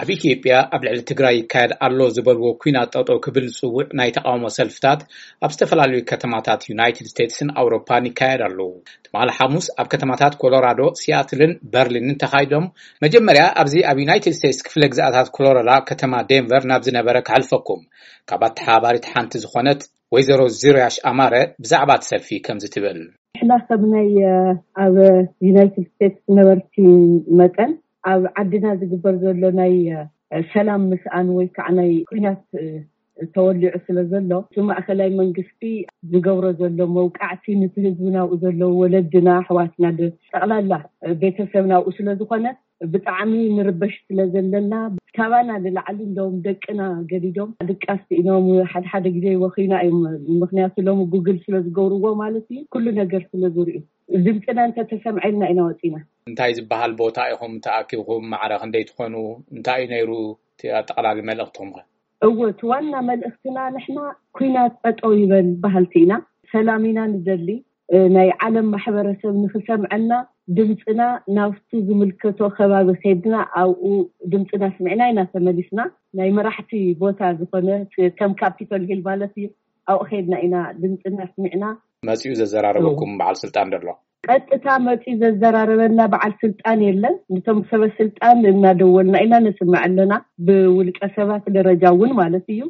ኣብ ኢትዮጵያ ኣብ ልዕሊ ትግራይ ይካየድ ኣሎ ዝበልዎ ኲናት ጠጠው ክብል ዝጽውዕ ናይ ተቓውሞ ሰልፍታት ኣብ ዝተፈላለዩ ከተማታት ዩናይትድ ስቴትስን ኣውሮፓን ይካየድ ኣሎ። ትማሊ ሓሙስ ኣብ ከተማታት ኮሎራዶ፣ ሲያትልን በርሊንን ተኻይዶም። መጀመርያ ኣብዚ ኣብ ዩናይትድ ስቴትስ ክፍለ ግዝኣታት ኮሎራዶ ከተማ ዴንቨር ናብ ዝነበረ ከሕልፈኩም። ካብ ኣተሓባሪት ሓንቲ ዝኾነት ወይዘሮ ዙርያሽ ኣማረ ብዛዕባ እቲ ሰልፊ ከምዚ ትብል። ንሕና ከም ናይ ኣብ ዩናይትድ ስቴትስ ነበርቲ መጠን ኣብ ዓድና ዝግበር ዘሎ ናይ ሰላም ምስኣን ወይ ከዓ ናይ ኩናት ተወሊዑ ስለ ዘሎ፣ እቲ ማእኸላይ መንግስቲ ዝገብሮ ዘሎ መውቃዕቲ፣ ነቲ ህዝቢ ናብኡ ዘለዉ ወለድና ኣሕዋትና ጠቕላላ ቤተሰብ ናብኡ ስለ ዝኾነ ብጣዕሚ ንርበሽ ስለ ዘለና፣ ካባና ንላዕሊ እንደውም ደቅና ገዲዶም ድቃስ ስኢኖም፣ ሓደ ሓደ ግዜ ወኺና እዮም። ምክንያቱ ሎሚ ጉግል ስለ ዝገብርዎ ማለት እዩ፣ ኩሉ ነገር ስለ ዝርእዩ። ድምፅና እንተተሰምዐልና ኢና ወፂና። እንታይ ዝበሃል ቦታ ኢኹም ተኣኪብኩም? ማዕረ ክንደይ ትኾኑ? እንታይ እዩ ነይሩ እቲ ኣጠቓላሊ መልእኽትኹም ከ? እወ፣ እቲ ዋና መልእኽትና ንሕና ኩናት ጠጠው ይበል በሃልቲ ኢና። ሰላም ኢና ንደሊ። ናይ ዓለም ማሕበረሰብ ንክሰምዐና ድምፅና ናብቲ ዝምልከቶ ከባቢ ከድና ኣብኡ ድምፅና ስሚዕና ኢና ተመሊስና። ናይ መራሕቲ ቦታ ዝኾነ ከም ካፒቶል ሂል ማለት እዩ፣ ኣብኡ ከድና ኢና ድምፅና ስሚዕና። መፂኡ ዘዘራረበኩም በዓል ስልጣን ደሎ? ቀጥታ መፂኡ ዘዘራረበና በዓል ስልጣን የለን። ነቶም ሰበ ስልጣን እናደወልና ኢና ነስምዕ ኣለና፣ ብውልቀ ሰባት ደረጃ እውን ማለት እዩ።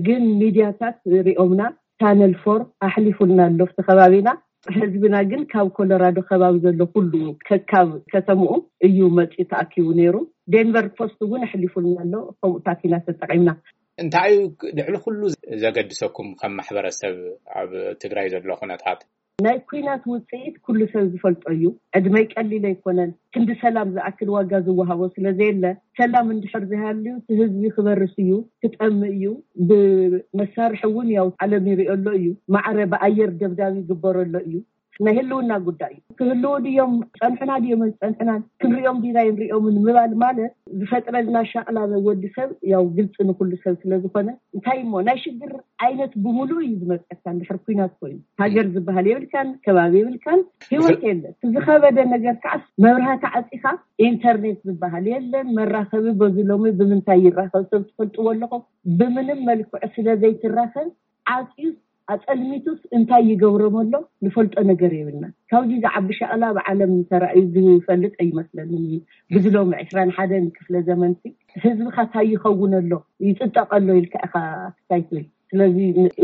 ግን ሚድያታት ሪኦምና፣ ቻነል ፎር ኣሕሊፉልና ኣሎ ኣብቲ ከባቢና። ህዝብና ግን ካብ ኮሎራዶ ከባቢ ዘሎ ኩሉ ከካብ ከተምኡ እዩ መፂኡ ተኣኪቡ ነይሩ። ዴንቨር ፖስት እውን ኣሕሊፉልና ኣሎ። ከምኡታት ኢና ተጠቒምና። እንታይ እዩ ልዕሊ ኩሉ ዘገድሰኩም ከም ማሕበረሰብ ኣብ ትግራይ ዘሎ ኩነታት? ናይ ኩናት ውፅኢት ኩሉ ሰብ ዝፈልጦ እዩ። ዕድመይ ቀሊል ኣይኮነን። ክንዲ ሰላም ዝኣክል ዋጋ ዝወሃቦ ስለ ዘየለ፣ ሰላም እንድሕር ዘይሃልዩ እቲ ህዝቢ ክበርስ እዩ፣ ክጠምእ እዩ። ብመሳርሒ እውን ያው ዓለም ይሪኦ ኣሎ እዩ። ማዕረ ብኣየር ደብዳብ ይግበረሎ እዩ። ናይ ህልውና ጉዳይ እዩ። ክህልዉ ድዮም ጸንሑና ድዮም ኣይጸንሑናን ክንሪኦም ዲና ይንሪኦምን ምባል ማለት ዝፈጥረልና ሻቕላ ወዲ ሰብ ያው ግልፂ ንኩሉ ሰብ ስለ ዝኾነ፣ እንታይ እሞ ናይ ሽግር ዓይነት ብምሉእ እዩ ዝመፀካ። እንድሕር ኩናት ኮይኑ ሃገር ዝበሃል የብልካን፣ ከባቢ የብልካን፣ ህይወት የለን። እቲ ዝኸበደ ነገር ከዓስ መብራህቲ ዓፂኻ ኢንተርኔት ዝበሃል የለን፣ መራኸቢ በዚ ሎሚ ብምንታይ ይራኸብ ሰብ ትፈልጥዎ ኣለኹም? ብምንም መልክዑ ስለ ዘይትራኸብ ዓፅዩስ ኣፀልሚቱስ እንታይ ይገብሮም ኣሎ ንፈልጦ ነገር የብልና። ካብዚ ዝዓቢ ሻቕላ ብዓለም ተራእዩ ዝፈልጥ ኣይመስለንን። ብዚ ሎሚ ዕስራን ሓደን ክፍለ ዘመንቲ ህዝብኻ እንታይ ይኸውን ኣሎ ይፅጠቕ ኣሎ ኢልካ ኢኻ ክታይ ትብል። ስለዚ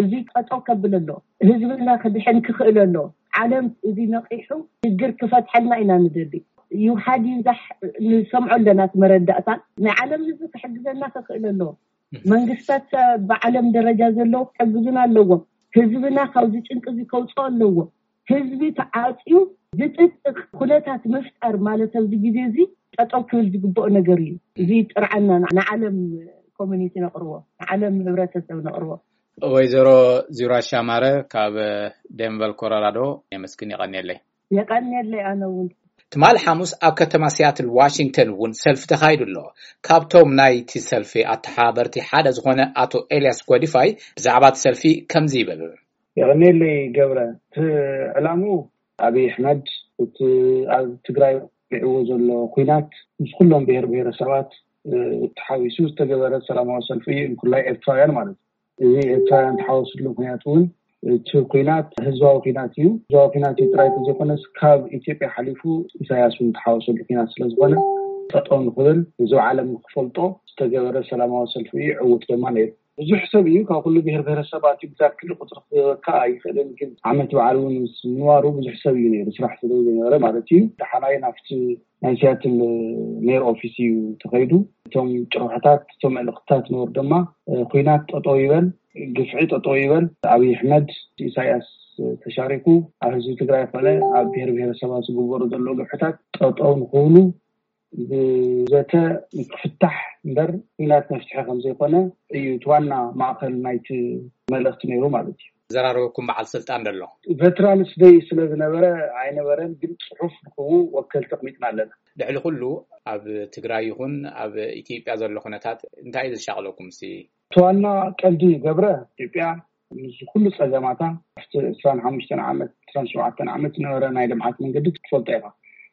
እዚ ጠጠው ከብል ኣሎ፣ ህዝብና ክድሕን ክኽእል ኣሎ። ዓለም እዚ ነቒሑ ሽግር ክፈትሐልና ኢና ንደሊ። ይውሓድ ይብዛሕ ንሰምዖ ኣለና እቲ መረዳእታ። ናይ ዓለም ህዝቢ ክሕግዘና ክኽእል ኣለዎ። መንግስታት ብዓለም ደረጃ ዘለዉ ክሕግዙና ኣለዎም። ህዝብና ካብዚ ጭንቂ እዚ ከውፅኦ ኣለዎ። ህዝቢ ተዓፅዩ ዝጥጥቕ ኩነታት ምፍጣር ማለት ኣብዚ ግዜ እዚ ጠጠው ክብል ዝግብኦ ነገር እዩ። እዚ ጥርዓና ንዓለም ኮሚኒቲ ነቕርቦ፣ ንዓለም ህብረተሰብ ነቕርቦ። ወይዘሮ ዚራሽ ኣማረ ካብ ደንቨር ኮሎራዶ የመስግን፣ የቐንየለይ። የቐንየለይ ኣነ እውን። ትማሊ ሓሙስ ኣብ ከተማ ሲያትል ዋሽንግተን እውን ሰልፊ ተኻይዱ ኣሎ። ካብቶም ናይቲ ሰልፊ ኣተሓባበርቲ ሓደ ዝኾነ ኣቶ ኤልያስ ጎዲፋይ ብዛዕባ እቲ ሰልፊ ከምዚ ይብል። የቐንየለይ ገብረ። እቲ ዕላምኡ ኣብይ ኣሕመድ እቲ ኣብ ትግራይ ወቂዕዎ ዘሎ ኲናት ምስ ኩሎም ብሄር ብሄረሰባት ተሓዊሱ ዝተገበረ ሰላማዊ ሰልፊ እዩ፣ ንኩላይ ኤርትራውያን ማለት እዩ። እዚ ኤርትራውያን ተሓወስሉ ምክንያት እውን እቲ ኲናት ህዝባዊ ኲናት እዩ። ህዝባዊ ኲናት እዩ ጥራይ ዘይኮነስ ካብ ኢትዮጵያ ሓሊፉ ኢሳያስ እውን ተሓወሰሉ ኲናት ስለዝኾነ ጠጠው ንክብል ህዝቢ ዓለም ንክፈልጦ ዝተገበረ ሰላማዊ ሰልፊ እዩ። ዕውት ድማ ነይሩ። ብዙሕ ሰብ እዩ ካብ ኩሉ ብሄር ብሄረሰባት እዩ። ብዛት ክሊ ቁፅሪ ክህበካ ኣይኽእልን፣ ግን ዓመት በዓል እውን ምስ ምንባሩ ብዙሕ ሰብ እዩ ነይሩ፣ ስራሕ ስለ ዝነበረ ማለት እዩ። ደሓናይ ናብቲ ናይ ሲያትል ሜር ኦፊስ እዩ ተኸይዱ። እቶም ጭርሖታት፣ እቶም መልእኽትታት ነበሩ ድማ፣ እ፣ ኲናት ጠጠው ይበል፣ ግፍዒ ጠጠው ይበል፣ ኣብይ ኣሕመድ ኢሳያስ ተሻሪኩ ኣብ ህዝቢ ትግራይ ኮነ ኣብ ብሄር ብሄረሰባት ዝግበሩ ዘለዉ ግፍዕታት ጠጠው ንክብሉ ብዘተ ክፍታሕ እምበር ኲናት መፍትሒ ከም ዘይኮነ እዩ እቲ ዋና ማእኸል ናይቲ መልእኽቲ ነይሩ ማለት እዩ። ዘራረበኩም በዓል ስልጣን ደሎ? ቨትራንስ ደይ ስለ ዝነበረ ኣይነበረን፣ ግን ጽሑፍ ንክቡ ወከልቲ ኣቕሚጥና ኣለና። ልዕሊ ኩሉ ኣብ ትግራይ ይኹን ኣብ ኢትዮጵያ ዘሎ ኩነታት እንታይ እዩ ዘሻቕለኩም? ሲ እቲ ዋና ቀንዲ ገብረ፣ ኢትዮጵያ ምስ ኩሉ ጸገማታ ኣብቲ ዕስራን ሓሙሽተን ዓመት፣ ዕስራን ሸውዓተን ዓመት ዝነበረ ናይ ልምዓት መንገዲ ክትፈልጦ ኢኻ።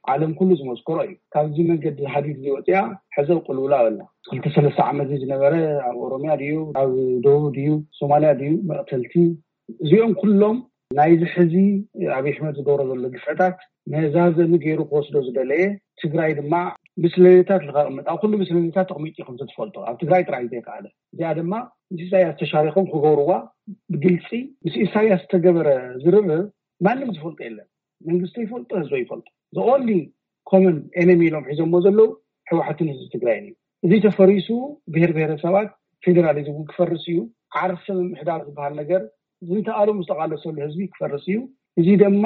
ዓለም ኩሉ ዝመስከሮ እዩ። ካብዚ መንገዲ ሓዲድ እዚ ወፂኣ ሕዘው ቅልውላ ኣበላ። ክልተ ሰለስተ ዓመት ዝነበረ ኣብ ኦሮሚያ ድዩ፣ ኣብ ደቡብ ድዩ፣ ሶማሊያ ድዩ፣ መቕተልቲ፣ እዚኦም ኩሎም ናይዚ ሕዚ ኣብይ ኣሕመድ ዝገብሮ ዘሎ ግፍዕታት መዛዘሚ ገይሩ ክወስዶ ዝደለየ፣ ትግራይ ድማ ምስለኔታት ልካቕምጥ ኣብ ኩሉ ምስለኔታት ተቕሚጡ ከም ዝፈልጦ ኣብ ትግራይ ጥራይ ዘይከኣለ፣ እዚኣ ድማ ምስ ኢሳያስ ተሻሪኮም ክገብርዋ ብግልፂ ምስ ኢሳያስ ዝተገበረ ዝርርብ ማንም ዝፈልጦ የለን። መንግስቲ ይፈልጦ፣ ህዝቢ ይፈልጦ። The only common enemy ኢሎም ሒዞሞ ዘለዉ ህወሓትን ህዝቢ ትግራይን እዩ። እዚ ተፈሪሱ ብሄር ብሄረሰባት ፌዴራሊዝም እውን ክፈርስ እዩ። ዓርሰ ምምሕዳር ዝበሃል ነገር ዝንተኣሉ ምስ ተቓለሰሉ ህዝቢ ክፈርስ እዩ። እዚ ድማ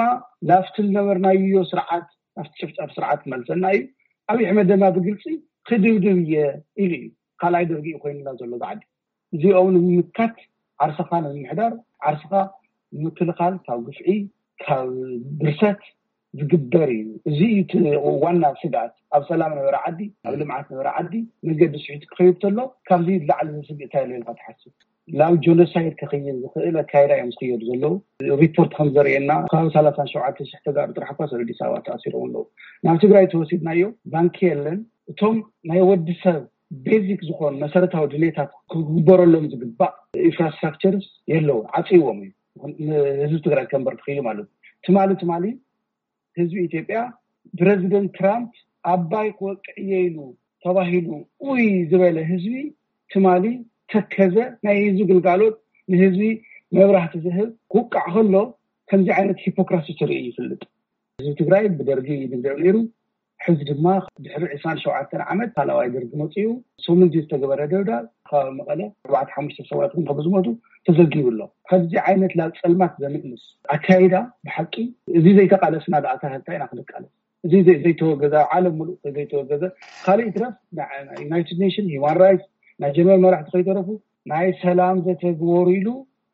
ናብቲ ዝነበርናዮ ስርዓት፣ ናብቲ ጨፍጫፍ ስርዓት ክመልሰና እዩ። ኣብይ ኣሕመድ ድማ ብግልፂ ክድብድብ እየ ኢሉ እዩ። ካልኣይ ደርጊ እዩ ኮይኑና ዘሎ ዝዓዲ። እዚኦም ንምምካት ዓርስኻ ንምምሕዳር፣ ዓርስኻ ንምክልኻል ካብ ግፍዒ፣ ካብ ብርሰት ዝግበር እዩ። እዚ እዩ እቲ ዋና ስግኣት። ኣብ ሰላም ነበረ ዓዲ፣ ኣብ ልምዓት ነበረ ዓዲ መንገዲ ስሒቱ ክኸይድ ተሎ ካብዚ ላዕሊ ዝስግእ እንታይ ኣሎ ኢልካ ትሓስብ? ናብ ጆኖሳይድ ክኸይድ ዝኽእል ኣካይዳ እዮም ዝኸየዱ ዘለዉ። ሪፖርት ከም ዘርእየና ካብ ሰላሳን ሸውዓተ ሽሕ ተጋሩ ጥራሕ እኳ ኣብ ኣዲስ ኣበባ ተኣሲሮም ኣለዉ። ናብ ትግራይ ተወሲድናዮ ባንኪ የለን። እቶም ናይ ወዲ ሰብ ቤዚክ ዝኾኑ መሰረታዊ ድሌታት ክግበረሎም ዝግባእ ኢንፍራስትራክቸርስ የለውን፣ ዓፅይዎም እዩ። ንህዝቢ ትግራይ ከንበር ትኽኢሉ ማለት እዩ። ትማሊ ትማሊ ህዝቢ ኢትዮጵያ ፕረዚደንት ትራምፕ ኣባይ ክወቅዕ እየ ኢሉ ተባሂሉ ኡይ ዝበለ ህዝቢ ትማሊ ተከዘ ናይ ህዝቢ ግልጋሎት ንህዝቢ መብራህቲ ዝህብ ክውቃዕ ከሎ ከምዚ ዓይነት ሂፖክራሲ ተርኢ ይፍልጥ። ህዝቢ ትግራይ ብደርጊ ይድብደብ ነይሩ። ሕዚ ድማ ድሕሪ ዕስራን ሸውዓተን ዓመት ካልኣዋይ ደርጊ መፅኡ። ሰሙንዚ ዝተገበረ ደብዳብ ከባቢ መቐለ ኣርባዕተ ሓሙሽተ ሰባት እውን ከም ዝሞቱ ተዘጊቡ ኣሎ። ከምዚ ዓይነት ናብ ፀልማት ዘምልስ ኣካይዳ ብሓቂ እዚ ዘይተቃለስና ደኣ እንታይ ኢና ክንቃለስ? እዚ ዘይ- ዘይተወገዘ ኣብ ዓለም ሙሉእ ዘይተወገዘ ካልእ ይትረፍ ና- ዩናይትድ ኔሽን ሂማን ራይትስ ናይ ጀርመን መራሕቲ ከይተረፉ ናይ ሰላም ዘተግበሩ ኢሉ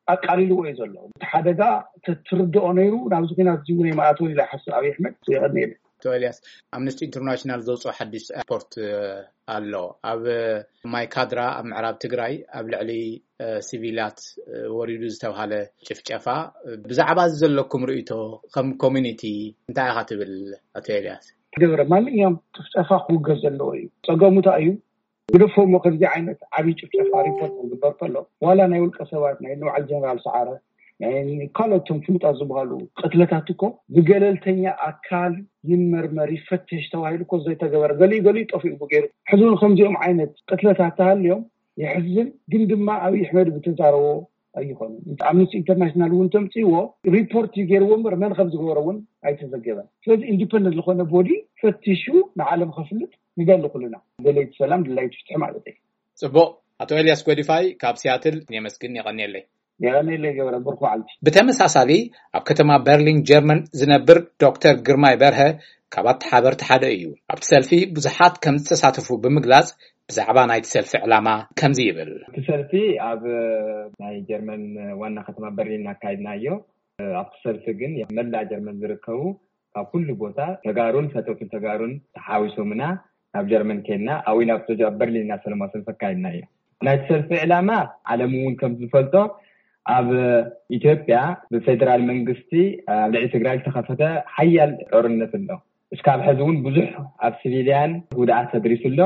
ኣቃሊልዎ እዩ ዘሎ። እቲ ሓደጋ ተትርድኦ ነይሩ ናብዚ ኩናት እዚ እውን ኣይመኣተወን ኢለ ይሓስብ ኣብይ ኣሕመድ። የቐንየለይ። ኣቶ ኤልያስ፣ ኣምነስቲ ኢንተርናሽናል ዘውፅኦ ሓድሽ ሪፖርት ኣሎ። ኣብ ማይካድራ ኣብ ምዕራብ ትግራይ ኣብ ልዕሊ ሲቪላት ወሪዱ ዝተባሃለ ጭፍጨፋ፣ ብዛዕባ እዚ ዘለኩም ርእይቶ ከም ኮሚኒቲ እንታይ ኢኻ ትብል ኣቶ ኤልያስ? ገበረ ማንኛውም ጭፍጨፋ ክውገዝ ዘለዎ እዩ። ፀገሙ እንታይ እዩ? ግደፎ እሞ ከምዚ ዓይነት ዓብዪ ጭፍጨፋ ሪፖርት ክግበር ከሎ ዋላ ናይ ውልቀ ሰባት ናይ ንበዓል ጀነራል ሰዓረ ናይ ካልኦት እቶም ፍሉጣት ዝበሃሉ ቅትለታት እኮ ብገለልተኛ ኣካል ይመርመር ይፈተሽ ተባሂሉ እኮ ዘይተገበረ ገሊኡ ገሊኡ ጠፊኡ ገይሩ ሕዚ እውን ከምዚኦም ዓይነት ቅትለታት ተሃልዮም የሕዝን። ግን ድማ ኣብይ ኣሕመድ ብተዛረቦ ኣይኾኑን። ኣምነስቲ ኢንተርናሽናል እውን ተምፅእዎ ሪፖርት እዩ ገይርዎ እምበር መን ከም ዝገበረ እውን ኣይተዘገበን። ስለዚ ኢንዲፐንደንት ዝኾነ ቦዲ ፈቲሹ ንዓለም ከፍልጥ ንደሊ ኩልና ደለይቲ ሰላም ደላይቲ ፍትሒ ማለት እዩ። ፅቡቕ። ኣቶ ኤልያስ ጎዲፋይ ካብ ሲያትል የመስግን። የቐንየለይ። የቐንየለይ ገብረ ብርኩ ዓልቲ። ብተመሳሳሊ ኣብ ከተማ በርሊን ጀርመን ዝነብር ዶክተር ግርማይ በርሀ ካብ ኣተሓበርቲ ሓደ እዩ። ኣብቲ ሰልፊ ብዙሓት ከም ዝተሳተፉ ብምግላፅ ብዛዕባ ናይቲ ሰልፊ ዕላማ ከምዚ ይብል። እቲ ሰልፊ ኣብ ናይ ጀርመን ዋና ከተማ በርሊን ኣካይድናዮ። ኣብቲ ሰልፊ ግን መላእ ጀርመን ዝርከቡ ካብ ኩሉ ቦታ ተጋሩን ፈተውትን ተጋሩን ተሓዊሶምና ናብ ጀርመን ከይድና ኣብኡ ኢና ኣብ በርሊን ኢና ሰለማዊ ሰልፊ ኣካይድናዮ። ናይቲ ሰልፊ ዕላማ ዓለም እውን ከም ዝፈልጦ ኣብ ኢትዮጵያ ብፌደራል መንግስቲ ኣብ ልዕሊ ትግራይ ዝተኸፈተ ሓያል ጦርነት ኣሎ። እስካብ ሕዚ እውን ብዙሕ ኣብ ሲቪልያን ጉድኣት ተድሪሱ ኣሎ።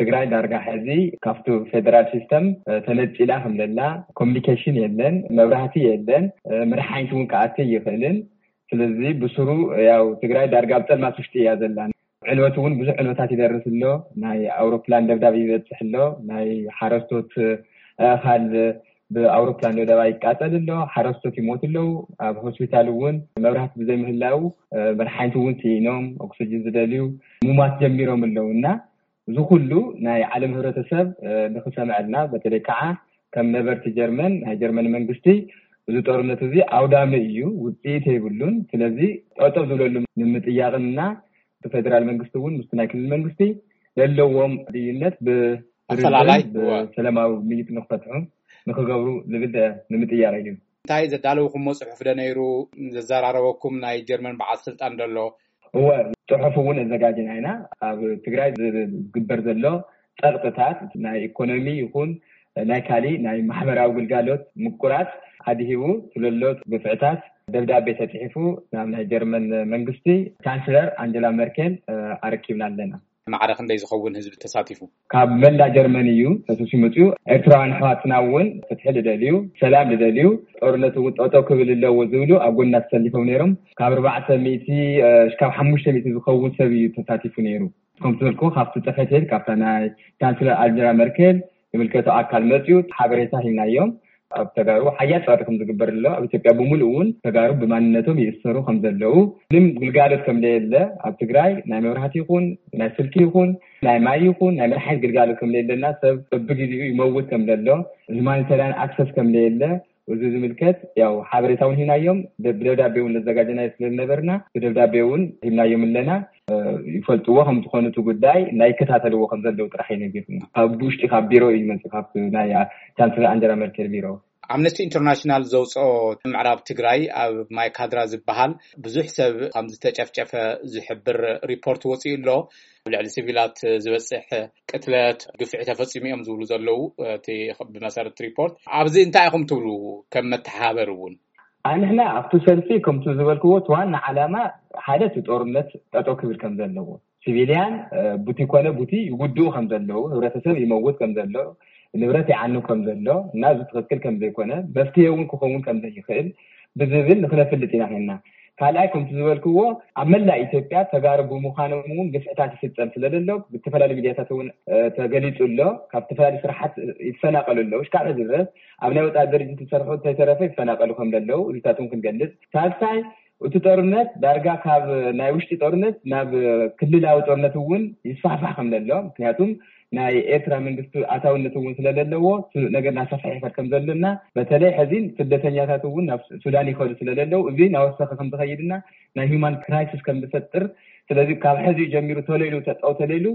ትግራይ ዳርጋ ሕዚ ካብቲ ፌደራል ሲስተም ተነፂላ ከም ዘላ፣ ኮሚኒኬሽን የለን፣ መብራህቲ የለን፣ መድሓኒት እውን ክኣቲ ይኽእልን። ስለዚ ብስሩ ያው ትግራይ ዳርጋ ኣብ ፀልማት ውሽጢ እያ ዘላ። ዕንወት እውን ብዙሕ ዕንወታት ይደርስ ኣሎ። ናይ ኣውሮፕላን ደብዳብ ይበፅሕ ኣሎ። ናይ ሓረስቶት ኣእኻል ብኣውሮፕላን ደብዳብ ይቃፀል ኣሎ። ሓረስቶት ይሞቱ ኣለዉ። ኣብ ሆስፒታል እውን መብራህቲ ብዘይምህላው መድሓኒት እውን ስኢኖም ኦክስጅን ዝደልዩ ሙማት ጀሚሮም ኣለዉ እና እዚ ኩሉ ናይ ዓለም ህብረተሰብ ንክሰምዐልና በተለይ ከዓ ከም ነበርቲ ጀርመን ናይ ጀርመን መንግስቲ እዚ ጦርነት እዚ ኣውዳሚ እዩ፣ ውፅኢት የብሉን። ስለዚ ጠጠው ዝብለሉ ንምጥያቕንና እቲ ፌደራል መንግስቲ እውን ምስቲ ናይ ክልል መንግስቲ ዘለዎም ድይነት ብድርድርን ኣፈላላይ፣ እወ። ብሰላማዊ ምይጥ ንክፈትሑ ንክገብሩ ዝብል ንምጥያቕ እዩ። እንታይ ዘዳለውኩሞ ፅሑፍ ዶ ነይሩ? ዘዘራረበኩም ናይ ጀርመን በዓል ስልጣን ዶ ኣሎ? እወ፣ ፅሑፍ እውን ኣዘጋጅና ኢና። ኣብ ትግራይ ዝግበር ዘሎ ፀቕጥታት ናይ ኢኮኖሚ ይኹን ናይ ካሊእ ናይ ማሕበራዊ ግልጋሎት ምቁራፅ ኣድሂቡ ስለሎ ግፍዕታት ደብዳቤ ተፅሒፉ ናብ ናይ ጀርመን መንግስቲ ቻንስለር ኣንጀላ መርኬል ኣረኪብና ኣለና። ማዕረ ክንደይ ዝኸውን ህዝቢ ተሳቲፉ? ካብ መላ ጀርመን እዩ ተሰብሲቡ መፅኡ። ኤርትራውያን ኣሕዋትና እውን ፍትሒ ዝደልዩ፣ ሰላም ዝደልዩ፣ ጦርነት እውን ጠጠው ክብል ኣለዎ ዝብሉ ኣብ ጎና ተሰሊፎም ነይሮም። ካብ ኣርባዕተ ሚእቲ ካብ ሓሙሽተ ሚእቲ ዝኸውን ሰብ እዩ ተሳቲፉ ነይሩ። ከም ዝበልኩ ካብቲ ፅሕፈት ቤት ካብታ ናይ ቻንስለር ኣንጀላ መርኬል ዝምልከቶ ኣካል መፅኡ ሓበሬታ ሂብናዮም። ኣብ ተጋሩ ሓያል ፀቕጢ ከም ዝግበር ኣሎ። ኣብ ኢትዮጵያ ብምሉእ እውን ተጋሩ ብማንነቶም ይእሰሩ ከም ዘለዉ፣ ምንም ግልጋሎት ከም ዘየለ፣ ኣብ ትግራይ ናይ መብራህቲ ይኹን ናይ ስልኪ ይኹን ናይ ማይ ይኹን ናይ ምንም ዓይነት ግልጋሎት ከም ዘየለና፣ ሰብ በብግዜኡ ይመውት ከም ዘሎ፣ ሁማኒታርያን ኣክሰስ ከም ዘየለ፣ እዚ ዝምልከት ያው ሓበሬታ እውን ሂብናዮም። ብደብዳቤ እውን ዘዘጋጀናዮ ስለ ዝነበርና ብደብዳቤ እውን ሂብናዮም ኣለና። ይፈልጥዎ ከም ዝኾኑ እቲ ጉዳይ ናይ ይከታተልዎ ከም ዘለዉ ጥራሕ እዩ ነጊርና። ካብ ውሽጢ ካብ ቢሮ እዩ ዝመፅእ፣ ካብ ናይ ቻንስለር ኣንጀላ መርኬል ቢሮ። ኣምነስቲ ኢንተርናሽናል ዘውፅኦ ምዕራብ ትግራይ ኣብ ማይካድራ ዝበሃል ብዙሕ ሰብ ከም ዝተጨፍጨፈ ዝሕብር ሪፖርት ወፂኡ ኣሎ። ኣብ ልዕሊ ሲቪላት ዝበፅሕ ቅትለት፣ ግፍዒ ተፈፂሙ እዮም ዝብሉ ዘለዉ እቲ ብመሰረት ሪፖርት። ኣብዚ እንታይ ኢኹም ትብሉ? ከም መተሓባበሪ እውን ኣንሕና ኣብቲ ሰልፊ ከምቲ ዝበልክዎ እቲ ዋና ዓላማ ሓደ እቲ ጦርነት ጠጠው ክብል ከም ዘለዎ፣ ሲቪልያን ቡቲ ኮነ ቡቲ ይጉድኡ ከም ዘለዉ፣ ህብረተሰብ ይመውት ከም ዘሎ፣ ንብረት ይዓኑ ከም ዘሎ እና እዚ ትኽክል ከም ዘይኮነ፣ መፍትሄ እውን ክኸውን ከም ዘይኽእል ብዝብል ንክነፍልጥ ኢና ኸና። ካልኣይ ከምቲ ዝበልክዎ ኣብ መላእ ኢትዮጵያ ተጋሩ ብምዃኖም እውን ግፍዕታት ይፍፀም ስለ ዘሎ ብዝተፈላለዩ ሚዲያታት እውን ተገሊፁ ኣሎ። ካብ ዝተፈላለዩ ስራሓት ይፈናቀሉ ኣለዉ። እስካዕ ድረስ ኣብ ናይ ወፃኢ ድርጅት ዝሰርሑ እንተይተረፈ ይፈናቀሉ ከም ዘለዉ እዚታት እውን ክንገልፅ። ሳልሳይ እቲ ጦርነት ዳርጋ ካብ ናይ ውሽጢ ጦርነት ናብ ክልላዊ ጦርነት እውን ይስፋሕፋሕ ከም ዘሎ፣ ምክንያቱም ናይ ኤርትራ መንግስቲ ኣታውነት እውን ስለዘለዎ እቲ ነገር እናሰፍሐ ይኸድ ከም ዘሎና፣ በተለይ ሕዚ ስደተኛታት እውን ናብ ሱዳን ይኸዱ ስለዘለዉ እዚ ናወሰኸ ከም ዝኸይድና ናይ ሂውማን ክራይሲስ ከም ዝፈጥር፣ ስለዚ ካብ ሕዚ ጀሚሩ ተለይሉ ተጠው ተለይሉ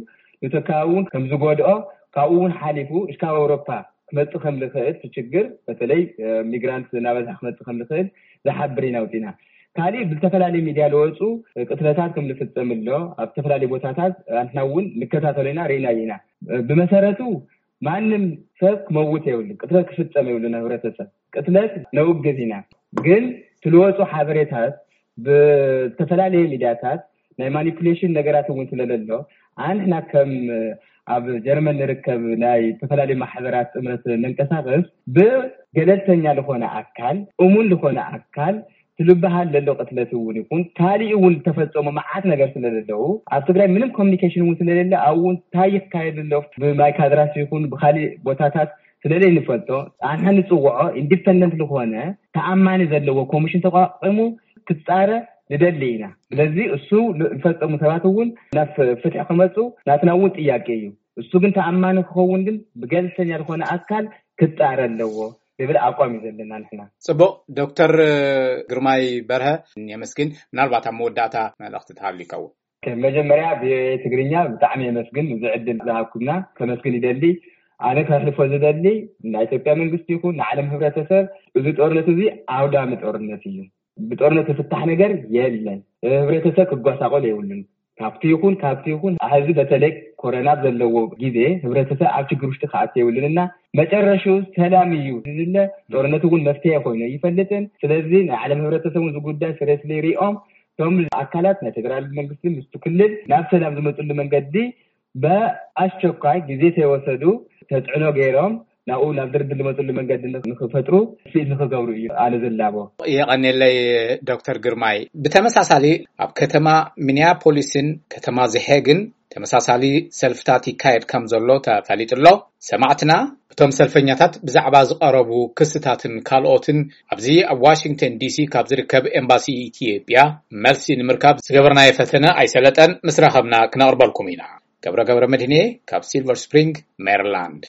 ንተካዊ እውን ከም ዝጎድኦ፣ ካብኡ እውን ሓሊፉ እስካብ ኣውሮፓ ክመፅእ ከም ዝኽእል፣ እቲ ችግር በተለይ ሚግራንት እናበዝሐ ክመፅእ ከም ዝኽእል ዝሓብር ኢና ኣውፂና። ካሊእ ብዝተፈላለዩ ሚድያ ዝወፁ ቅትለታት ከም ዝፍፀም ኣሎ። ኣብ ዝተፈላለዩ ቦታታት ኣንሕና እውን ንከታተሎ ኢና፣ ርኢናዮ ኢና። ብመሰረቱ ማንም ሰብ ክመውት የብሉ፣ ቅትለት ክፍፀም የብሉ። ናብ ህብረተሰብ ቅትለት ነውግዝ ኢና፣ ግን ትልወፁ ሓበሬታት ብዝተፈላለየ ሚድያታት ናይ ማኒፑሌሽን ነገራት እውን ስለለሎ ኣንሕና ከም ኣብ ጀርመን ንርከብ ናይ ዝተፈላለዩ ማሕበራት ጥምረት መንቀሳቐስ ብገለልተኛ ዝኾነ ኣካል፣ እሙን ዝኾነ ኣካል ትልበሃል ዘሎ ቅትለት እውን ይኹን ካሊእ እውን ዝተፈፀሙ መዓት ነገር ስለዘለዉ ኣብ ትግራይ ምንም ኮሚኒኬሽን እውን ስለሌለ ኣብኡ እውን እንታይ ይካየድ ኣሎ ብማይካድራስ ይኹን ብካሊእ ቦታታት ስለዘይንፈልጦ ኣንሕና ንፅውዖ ኢንዲፐንደንት ዝኾነ ተኣማኒ ዘለዎ ኮሚሽን ተቋቂሙ ክፃረ ንደሊ ኢና። ስለዚ እሱ ዝፈፀሙ ሰባት እውን ናብ ፍትሒ ክመፁ ናትና እውን ጥያቄ እዩ። እሱ ግን ተኣማኒ ክኸውን ግን ብገለልተኛ ዝኾነ ኣካል ክፃረ ኣለዎ ዝብል ኣቋም እዩ ዘለና ንሕና። ፅቡቕ። ዶክተር ግርማይ በርሀ የመስግን። ምናልባት ኣብ መወዳእታ መልእኽቲ ተሃልዩ ይኸውን። መጀመርያ ቪኦኤ ትግርኛ ብጣዕሚ የመስግን እዚ ዕድል ዝሃብኩምና ከመስግን ይደሊ። ኣነ ከሕልፎ ዝደሊ ናይ ኢትዮጵያ መንግስቲ ይኹን ንዓለም ህብረተሰብ እዚ ጦርነት እዚ ኣውዳሚ ጦርነት እዩ። ብጦርነት ዝፍታሕ ነገር የለን። ህብረተሰብ ክጓሳቆል የብሉን። ካብቲ ይኹን ካብቲ ይኹን ሕዚ በተለይ ኮረና ኣብ ዘለዎ ግዜ ህብረተሰብ ኣብ ችግር ውሽጢ ክኣቱ የብሉን እና መጨረሽኡ ሰላም እዩ ዝድለ። ጦርነት እውን መፍትሄ ኮይኑ ኣይፈልጥን። ስለዚ ናይ ዓለም ህብረተሰብ እውን እዚ ጉዳይ ስሬስሊ ሪኦም እቶም ኣካላት ናይ ፌደራል መንግስቲ ምስቲ ክልል ናብ ሰላም ዝመፅሉ መንገዲ ብኣስቸኳይ ግዜ ተይወሰዱ ተፅዕኖ ገይሮም ናብኡ ናብ ድርድር ዝመፅሉ መንገዲ ንክፈጥሩ ስኢል ንክገብሩ እዩ ኣነ ዝላቦ። የቐንየለይ ዶክተር ግርማይ። ብተመሳሳሊ ኣብ ከተማ ሚኒያፖሊስን ከተማ ዘሄግን ተመሳሳሊ ሰልፍታት ይካየድ ከም ዘሎ ተፈሊጡ ኣሎ። ሰማዕትና እቶም ሰልፈኛታት ብዛዕባ ዝቐረቡ ክስታትን ካልኦትን ኣብዚ ኣብ ዋሽንግተን ዲሲ ካብ ዝርከብ ኤምባሲ ኢትዮጵያ መልሲ ንምርካብ ዝገበርናዮ ፈተነ ኣይሰለጠን። ምስ ረኸብና ክነቕርበልኩም ኢና። ገብረ ገብረ መድህኔ ካብ ሲልቨር ስፕሪንግ ሜሪላንድ።